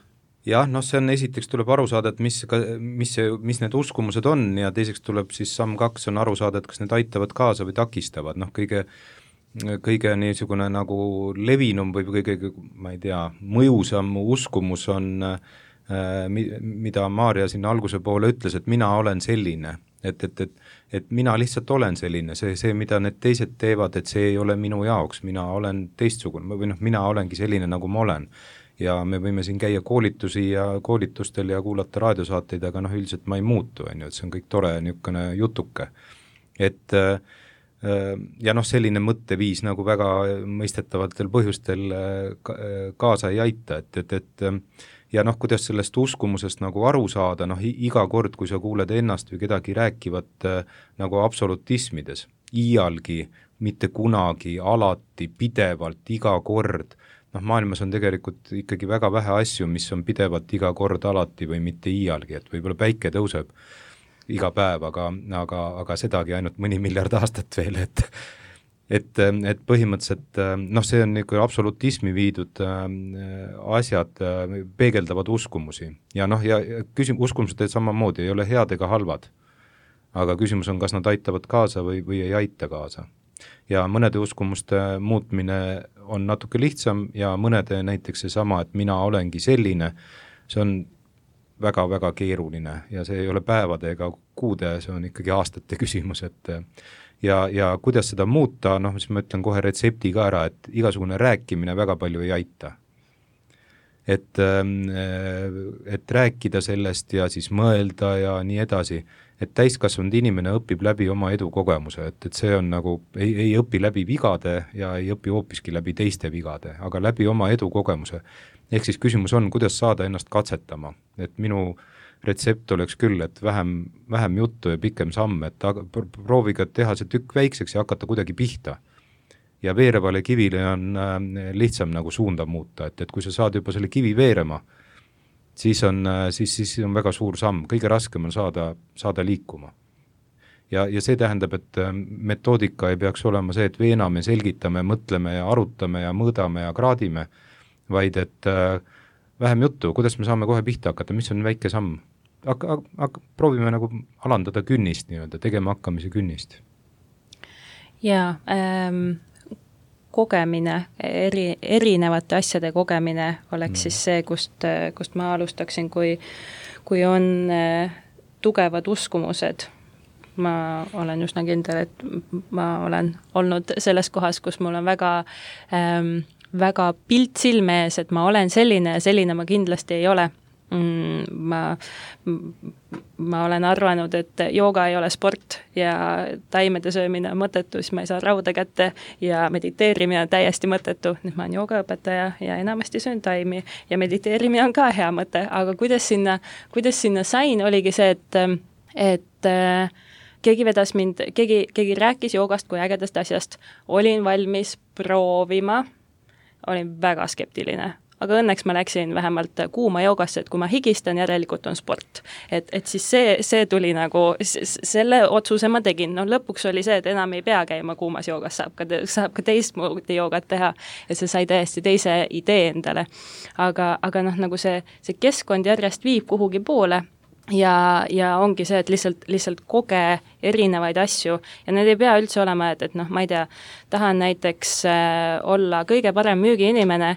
Jah, noh, see on esiteks tuleb aru saada, et mis, mis, see, mis need uskumused on ja teiseks tuleb siis samm kaks on aru saada, et kas need aitavad kaasa või takistavad, noh, kõige kõige niisugune nagu levinum või kõige, ma ei tea, mõjusam uskumus on, mida Maarja sinna alguse poole ütles, et mina olen selline, et, et, et, et mina lihtsalt olen selline, see, see, mida need teised teevad, et see ei ole minu jaoks, mina olen teistsugune või noh, mina olengi selline, nagu ma olen. Ja me võime siin käia koolitusi ja koolitustel ja kuulata raadiosaateid, aga noh, üldiselt ma ei muutu, on ju, et see on kõik tore niisugune jutuke. Et ja noh, selline mõtteviis nagu väga mõistetavatel põhjustel kaasa ei aita, et, et, et ja noh, kuidas sellest uskumusest nagu aru saada, noh iga kord, kui sa kuuled ennast või kedagi rääkivat nagu absolutismides, iialgi, mitte kunagi, alati, pidevalt, iga kord, noh maailmas on tegelikult ikkagi väga vähe asju, mis on pidevalt iga kord alati või mitte iialgi, et võib-olla päike tõuseb iga päev, aga, aga, aga sedagi ainult mõni miljard aastat veel, et et, et põhimõtteliselt noh, see on niisugune absolutismi viidud asjad, peegeldavad uskumusi ja noh, ja küsim-, uskumused samamoodi ei ole head ega halvad, aga küsimus on, kas nad aitavad kaasa või, või ei aita kaasa. Ja mõnede uskumuste muutmine on natuke lihtsam ja mõnede näiteks seesama, et mina olengi selline, see on väga-väga keeruline ja see ei ole päevade ega kuude, see on ikkagi aastate küsimus, et ja, ja kuidas seda muuta, noh, siis ma ütlen kohe retsepti ka ära, et igasugune rääkimine väga palju ei aita. Et, et rääkida sellest ja siis mõelda ja nii edasi, et täiskasvanud inimene õpib läbi oma edukogemuse, et, et see on nagu, ei, ei õpi läbi vigade ja ei õpi hoopiski läbi teiste vigade, aga läbi oma edukogemuse. Ehk siis küsimus on, kuidas saada ennast katsetama, et minu retsept oleks küll, et vähem, vähem juttu ja pikem samm, et prooviga teha see tükk väikseks ja hakata kuidagi pihta. Ja veerevale kivile on lihtsam nagu suunda muuta, et, et kui sa saad juba selle kivi veerema, siis on, siis, siis on väga suur samm, kõige raskem on saada, saada liikuma. Ja, ja see tähendab, et metoodika ei peaks olema see, et veename, selgitame, mõtleme ja arutame ja mõõdame ja kraadime, vaid et äh, vähem juttu, kuidas me saame kohe pihta hakata, mis on väike samm. Aga, aga proovime nagu alandada künnist, nii-öelda, tegema hakkamise künnist. Jaa, ähm, kogemine, eri, erinevate asjade kogemine oleks mm. siis see, kust, kust ma alustaksin, kui, kui on äh, tugevad uskumused. Ma olen üsna kindel, et ma olen olnud selles kohas, kus mul on väga ähm, väga pilt silme ees, et ma olen selline ja selline ma kindlasti ei ole. Ma, ma olen arvanud, et jooga ei ole sport ja taimede söömine on mõttetu, siis ma ei saa rauda kätte ja mediteerimine on täiesti mõttetu. Nüüd ma olen joogaõpetaja ja enamasti söön taimi ja mediteerimine on ka hea mõte, aga kuidas sinna, kuidas sinna sain, oligi see, et, et keegi vedas mind, keegi, keegi rääkis joogast kui ägedast asjast, olin valmis proovima, olin väga skeptiline, aga õnneks ma läksin vähemalt kuuma joogasse, et kui ma higistan, järelikult on sport. Et, et siis see, see tuli nagu, selle otsuse ma tegin, no lõpuks oli see, et enam ei pea käima kuumas joogas, saab ka, saab ka teistmoodi joogat teha, et see sai täiesti teise idee endale. Aga, aga noh, nagu see, see keskkond järjest viib kuhugi poole, ja, ja ongi see, et lihtsalt, lihtsalt koge erinevaid asju ja need ei pea üldse olema, et, et noh, ma ei tea, tahan näiteks äh, olla kõige parem müügiinimene,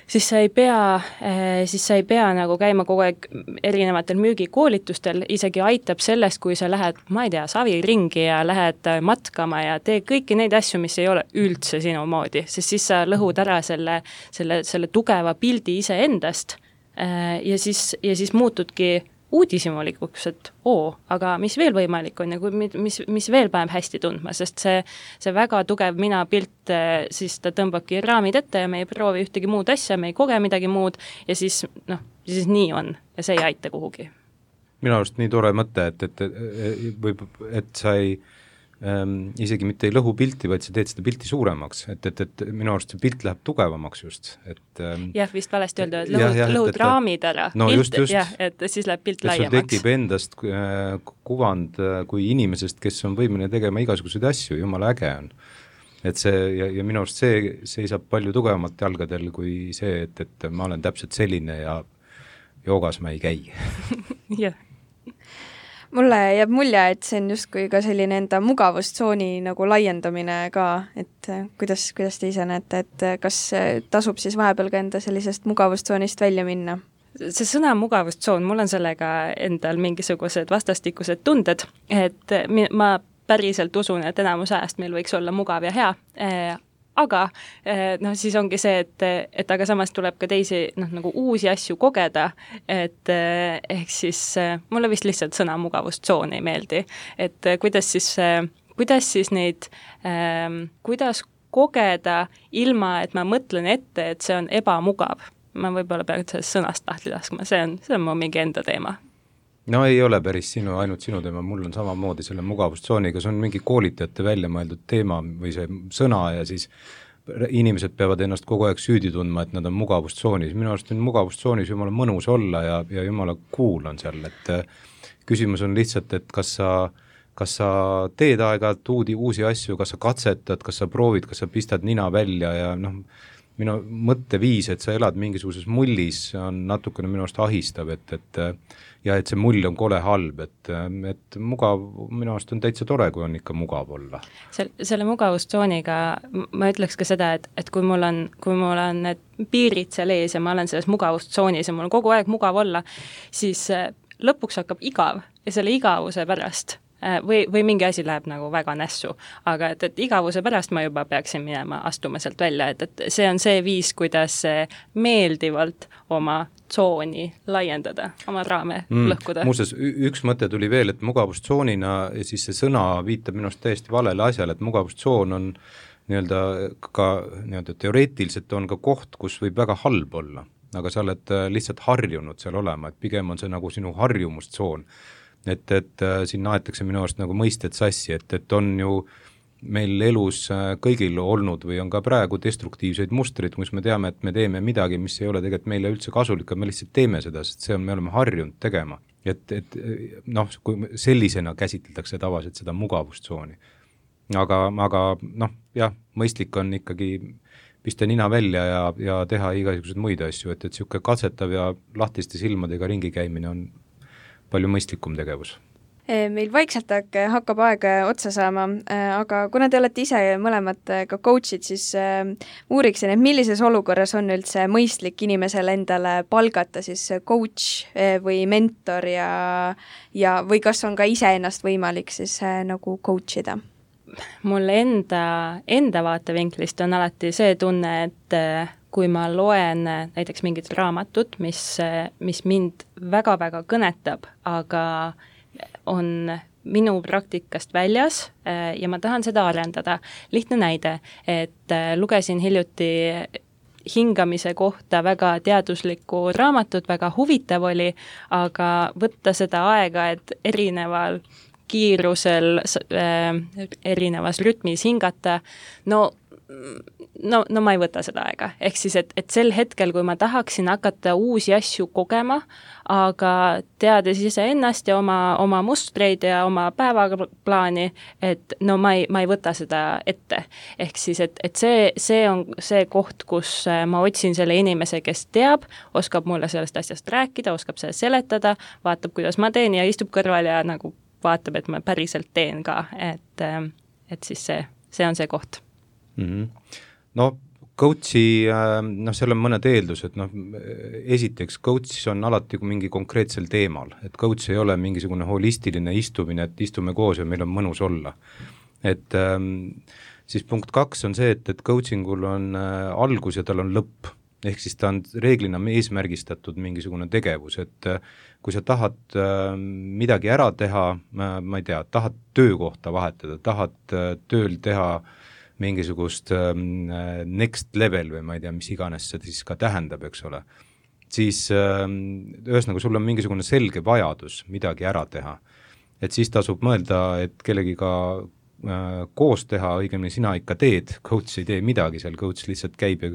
siis sa ei pea, äh, siis sa ei pea nagu käima kogu aeg erinevatel müügikoolitustel, isegi aitab sellest, kui sa lähed, ma ei tea, saviringi ja lähed matkama ja tee kõiki neid asju, mis ei ole üldse sinu moodi, sest siis sa lõhud ära selle, selle, selle tugeva pildi iseendast äh, ja siis, ja siis muutudki uudishimulikuks, et oo, aga mis veel võimalik on ja kui, mis, mis veel paneb hästi tundma, sest see, see väga tugev mina pilt, siis ta tõmbabki raamid ette ja me ei proovi ühtegi muud asja, me ei koge midagi muud ja siis, noh, siis nii on ja see ei aita kuhugi. Minu arust nii tore mõte, et, et, et, võib, et sa ei ähm, isegi mitte ei lõhu pilti, vaid sa teed seda pilti suuremaks, et, et, et minu arust see pilt läheb tugevamaks just. Et, ähm, jah, vist valesti öelda, et lõhud, jah, jah, lõhud et, raamid ära, no, pilt, just, just, jah, et siis läheb pilt et laiemaks. sul tekib endast äh, kuvand äh, kui inimesest, kes on võimeline tegema igasuguseid asju, jumala äge on. Et see, ja, ja minu arust see seisab palju tugevamalt jalgadel kui see, et, et ma olen täpselt selline ja joogas ma ei käi. Jah. Mulle jääb mulje, et see on justkui ka selline enda mugavustsooni nagu laiendamine ka, et kuidas, kuidas te ise näete, et kas tasub siis vahepeal ka enda sellisest mugavustsoonist välja minna? See sõna mugavustsoon, mul on sellega endal mingisugused vastastikused tunded, et ma päriselt usun, et enamus ajast meil võiks olla mugav ja hea, aga noh, siis ongi see, et, et aga samas tuleb ka teisi noh, nagu uusi asju kogeda, et ehk siis mulle vist lihtsalt sõna mugavustsoon ei meeldi, et kuidas siis, kuidas siis neid ähm,, kuidas kogeda ilma, et ma mõtlen ette, et see on ebamugav. Ma võib-olla pean sellest sõnast tahti laskma, see on, see on mu mingi enda teema. No ei ole päris sinu, ainult sinu teema, mul on samamoodi selle mugavustsooniga, see on mingi koolitajate välja mõeldud teema või see sõna ja siis inimesed peavad ennast kogu aeg süüdi tundma, et nad on mugavustsoonis. Minu arust on mugavustsoonis jumala mõnus olla ja, ja jumala cool on seal, et küsimus on lihtsalt, et kas sa, kas sa teed aeg-ajalt uudi, uusi asju, kas sa katsetad, kas sa proovid, kas sa pistad nina välja ja noh, minu mõtteviis, et sa elad mingisuguses mullis, on natukene minu arust ahistav, et, et ja et see mull on kole halb, et, et mugav, minu arust on täitsa tore, kui on ikka mugav olla. Sel, selle mugavustsooniga ma ütleks ka seda, et, et kui mul on, kui mul on need piirid seal ees ja ma olen selles mugavustsoonis ja mul on kogu aeg mugav olla, siis lõpuks hakkab igav ja selle igavuse pärast või, või mingi asi läheb nagu väga nässu, aga et, et igavuse pärast ma juba peaksin minema astuma sealt välja, et, et see on see viis, kuidas meeldivalt oma tsooni laiendada, oma raame mm. lõhkuda. Muuseas, üks mõte tuli veel, et mugavustsoonina, siis see sõna viitab minust täiesti valele asjale, et mugavustsoon on nii-öelda ka nii-öelda teoreetiliselt on ka koht, kus võib väga halb olla, aga sa oled lihtsalt harjunud seal olema, et pigem on see nagu sinu harjumustsoon. Et, et siin naetakse minu arust nagu mõisted sassi, et, et on ju meil elus kõigil olnud või on ka praegu destruktiivseid mustreid, kus me teame, et me teeme midagi, mis ei ole tegelikult meile üldse kasulik, me lihtsalt teeme seda, sest see on, me oleme harjunud tegema. Et, et noh, kui sellisena käsitletakse tavaliselt seda mugavustsooni. Aga, aga noh, jah, mõistlik on ikkagi pista nina välja ja, ja teha igasugused muid asju, et, et siuke katsetav ja lahtiste silmadega ringi käimine on palju mõistlikum tegevus. Meil vaikselt hakkab aeg otsa saama, aga kuna te olete ise mõlemad ka coachid, siis uuriksin, et millises olukorras on üldse mõistlik inimesel endale palgata siis coach või mentor ja, ja või kas on ka ise ennast võimalik siis nagu coachida? Mul enda, enda vaatevinklist on alati see tunne, et kui ma loen näiteks mingit raamatut, mis, mis mind väga-väga kõnetab, aga on minu praktikast väljas ja ma tahan seda arendada. Lihtne näide, et lugesin hiljuti hingamise kohta väga teaduslikku raamatut, väga huvitav oli, aga võtta seda aega, et erineval kiirusel, erinevas rütmis hingata, no No, no ma ei võta seda aega. Ehk siis, et, et sel hetkel, kui ma tahaksin hakata uusi asju kogema, aga teades ise ennast ja oma, oma mustreid ja oma päevaplaani, et no ma ei, ma ei võta seda ette. Ehk siis, et, et see, see on see koht, kus ma otsin selle inimese, kes teab, oskab mulle sellest asjast rääkida, oskab selle seletada, vaatab, kuidas ma teen ja istub kõrval ja nagu vaatab, et ma päriselt teen ka. Et, et siis see, see on see koht. Mm-hmm. No coachi, noh seal on mõned eeldused, noh esiteks coach on alati mingi konkreetsel teemal, et coach ei ole mingisugune holistiline istumine, et istume koos ja meil on mõnus olla. Et ähm, siis punkt kaks on see, et, et coachingul on äh, algus ja tal on lõpp, ehk siis ta on reeglina eesmärgistatud mingisugune tegevus, et äh, kui sa tahad äh, midagi ära teha, äh, ma ei tea, tahad töökohta vahetada, tahad äh, tööl teha mingisugust ähm, next level või ma ei tea, mis iganes see siis ka tähendab, eks ole, siis ähm, ühesõnaga sul on mingisugune selge vajadus midagi ära teha. Et siis tasub mõelda, et kellegiga äh, koos teha, õigemini sina ikka teed, coach ei tee midagi seal, coach lihtsalt käib ja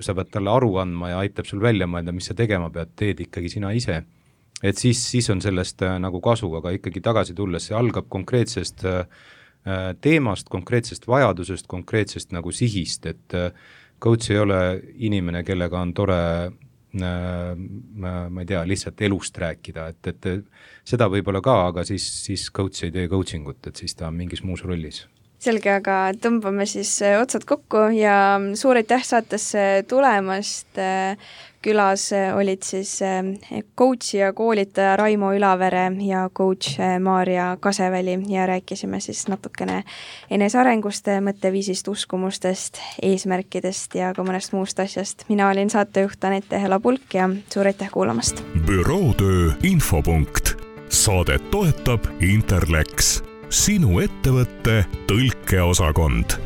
sa pead talle aru andma ja aitab sul välja mõelda, mis sa tegema pead, teed ikkagi sina ise. Et siis, siis on sellest äh, nagu kasu, aga ikkagi tagasi tulles see algab konkreetsest äh, teemast, konkreetsest vajadusest, konkreetsest nagu sihist, et coach ei ole inimene, kellega on tore, ma ei tea, lihtsalt elust rääkida, et, et seda võib-olla ka, aga siis, siis coach ei tee coachingut, et siis ta on mingis muus rollis. Selge, aga tõmbame siis otsad kokku ja suur aitäh saatesse tulemast. Külas olid siis coach ja koolitaja Raimo Ülavere ja coach Maarja Kaseväli ja rääkisime siis natukene enesearengust, mõtteviisist, uskumustest, eesmärkidest ja ka mõnest muust asjast. Mina olin saatejuht Anette Hela-Pulk ja suur aitäh kuulamast. Bürootöö infopunkt. Saadet toetab Interlex. sinu ettevõtte tõlkeosakond